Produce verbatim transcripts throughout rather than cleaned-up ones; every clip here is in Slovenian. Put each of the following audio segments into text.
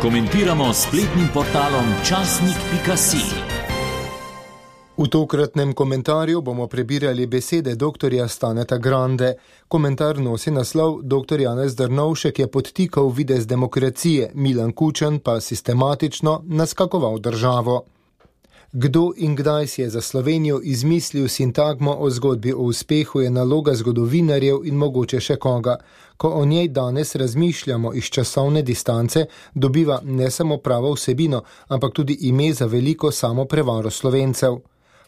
Komentiramo s spletnim portalom časnik pika si. V tokratnem komentarju bomo prebirali besede doktorja Staneta Grande. Komentar nosi naslov Doktor Janez Drnovšek je podtikal videz demokracije, Milan Kučan pa sistematično naskakoval državo. Kdo in kdaj si je za Slovenijo izmislil sintagmo o zgodbi o uspehu, je naloga zgodovinarjev in mogoče še koga. Ko o njej danes razmišljamo iz časovne distance, dobiva ne samo pravo vsebino, ampak tudi ime za veliko samoprevaro Slovencev.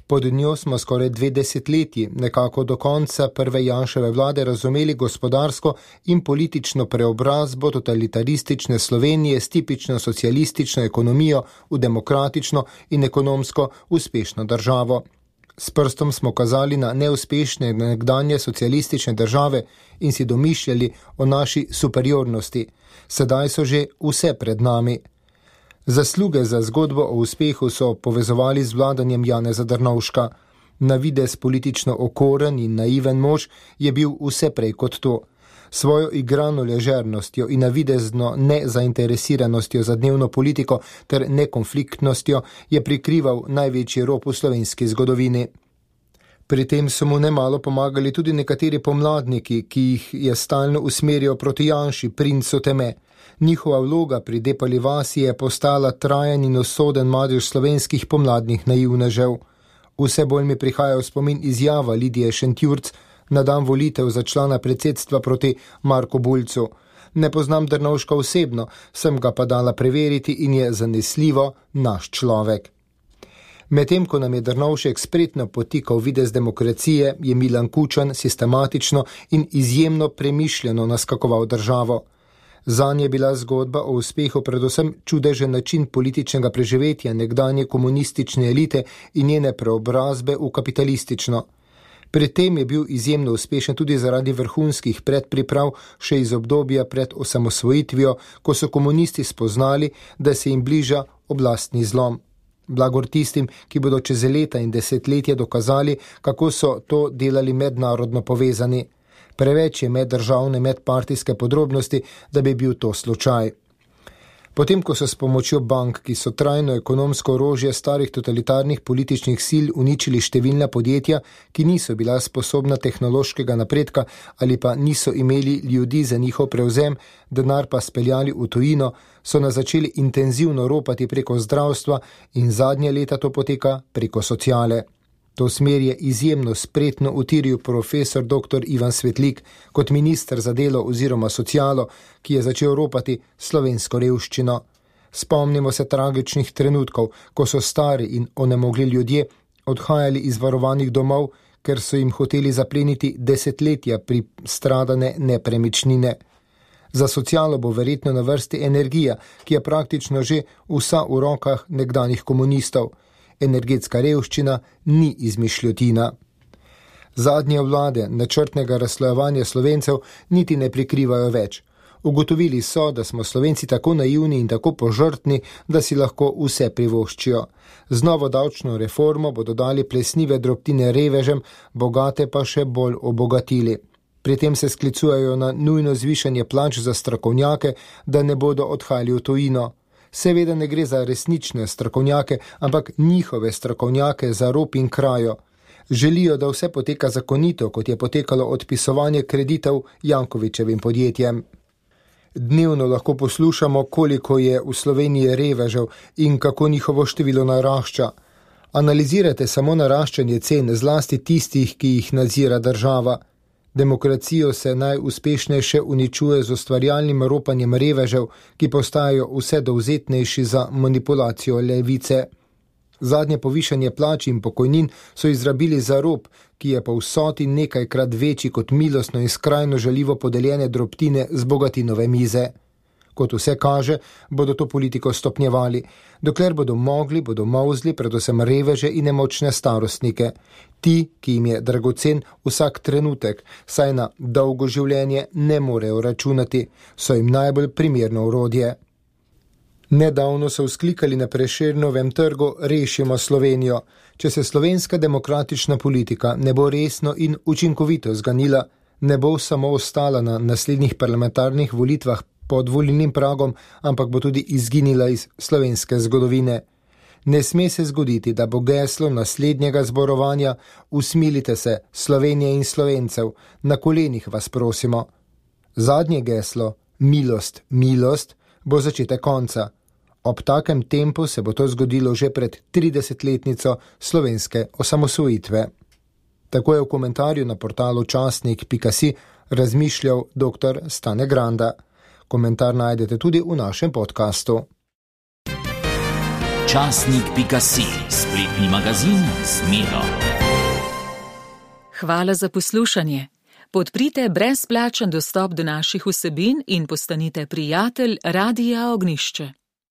Pod njo smo skoraj dve desetletji, nekako do konca prve Janševe vlade, razumeli gospodarsko in politično preobrazbo totalitaristične Slovenije s tipično socialistično ekonomijo v demokratično in ekonomsko uspešno državo. S prstom smo kazali na neuspešne nekdanje socialistične države in si domišljali o naši superiornosti. Sedaj so že vse pred nami. Zasluge za zgodbo o uspehu so povezovali z vladanjem Janeza Drnovška. Na videz politično okoren in naiven mož je bil vse prej kot to. Svojo igrano ležernostjo in navidezno nezainteresiranostjo za dnevno politiko ter nekonfliktnostjo je prikrival največji rop v slovenski zgodovini. Pri tem so mu nemalo pomagali tudi nekateri pomladniki, ki jih je stalno usmerjal proti Janši, princu teme. Njihova vloga pri Depali vasi je postala trajen in usoden madež slovenskih pomladnih naivnežev. Vse bolj mi prihaja v spomin izjava Lidije Šentjurc na dan volitev za člana predsedstva proti Marku Bulcu. Ne poznam Drnovška osebno, sem ga pa dala preveriti in je zanesljivo naš človek. Medtem ko nam je Drnovšek spretno potikal videz demokracije, je Milan Kučan sistematično in izjemno premišljeno naskakoval državo. Zanj je bila zgodba o uspehu predvsem čudežen način političnega preživetja nekdanje komunistične elite in njene preobrazbe v kapitalistično. Pri tem je bil izjemno uspešen tudi zaradi vrhunskih predpriprav še iz obdobja pred osamosvojitvijo, ko so komunisti spoznali, da se jim bliža oblastni zlom. Blagor tistim, ki bodo čez leta in desetletja dokazali, kako so to delali mednarodno povezani. Preveč je meddržavne, medpartijske podrobnosti, da bi bil to slučaj. Potem, ko so s pomočjo bank, ki so trajno ekonomsko orožje starih totalitarnih političnih sil, uničili številna podjetja, ki niso bila sposobna tehnološkega napredka ali pa niso imeli ljudi za njihov prevzem, denar pa speljali v tujino, so nas začeli intenzivno ropati preko zdravstva in zadnje leta to poteka preko sociale. To smer je izjemno spretno utiril profesor doktor Ivan Svetlik kot minister za delo oziroma socialo, ki je začel ropati slovensko revščino. Spomnimo se tragičnih trenutkov, ko so stari in onemogli ljudje odhajali iz varovanih domov, ker so jim hoteli zapleniti desetletja pristradane nepremičnine. Za socialo bo verjetno na vrsti energija, ki je praktično že vsa v rokah nekdanjih komunistov. Energetska revščina ni izmišljotina. Zadnje vlade načrtnega razslojevanja Slovencev niti ne prikrivajo več. Ugotovili so, da smo Slovenci tako naivni in tako požrtni, da si lahko vse privoščijo. Z novo davčno reformo bodo dali plesnive drobtine revežem, bogate pa še bolj obogatili. Pri tem se sklicujejo na nujno zvišanje plač za strokovnjake, da ne bodo odhajali v tujino. Seveda ne gre za resnične strokovnjake, ampak njihove strokovnjake za rop in krajo. Želijo, da vse poteka zakonito, kot je potekalo odpisovanje kreditov Jankovićevim podjetjem. Dnevno lahko poslušamo, koliko je v Sloveniji revežev in kako njihovo število narašča. Analizirajte samo naraščanje cen, zlasti tistih, ki jih nadzira država. Demokracijo se najuspešneje uničuje z ustvarjalnim ropanjem revežev, ki postajajo vse dovzetnejši za manipulacijo levice. Zadnje povišanje plač in pokojnin so izrabili za rop, ki je po vsoti nekajkrat večji kot milostno in skrajno žaljivo podeljene drobtine z bogatinove mize. Kot vse kaže, bodo to politiko stopnjevali. Dokler bodo mogli, bodo molzli predvsem reveže in nemočne starostnike. Ti, ki jim je dragocen vsak trenutek, saj na dolgo življenje ne morejo računati, so jim najbolj primerno orodje. Nedavno so vzklikali na Prešernovem trgu Rešimo Slovenijo. Če se slovenska demokratična politika ne bo resno in učinkovito zganila, ne bo samo ostala na naslednjih parlamentarnih volitvah pod volilnim pragom, ampak bo tudi izginila iz slovenske zgodovine. Ne sme se zgoditi, da bo geslo naslednjega zborovanja usmilite se, Slovenije in Slovencev, na kolenih vas prosimo. Zadnje geslo, milost, milost, bo začetek konca. Ob takem tempu se bo to zgodilo že pred tridesetletnico slovenske osamosvojitve. Tako je v komentarju na portalu časnik pika si razmišljal doktor Stane Granda. Komentar najdete tudi v našem podkastu. časnik pika si, spletni magazin z Miro. Hvala za poslušanje. Podprite brezplačen dostop do naših vsebin in postanite prijatelj Radia Ognjišče.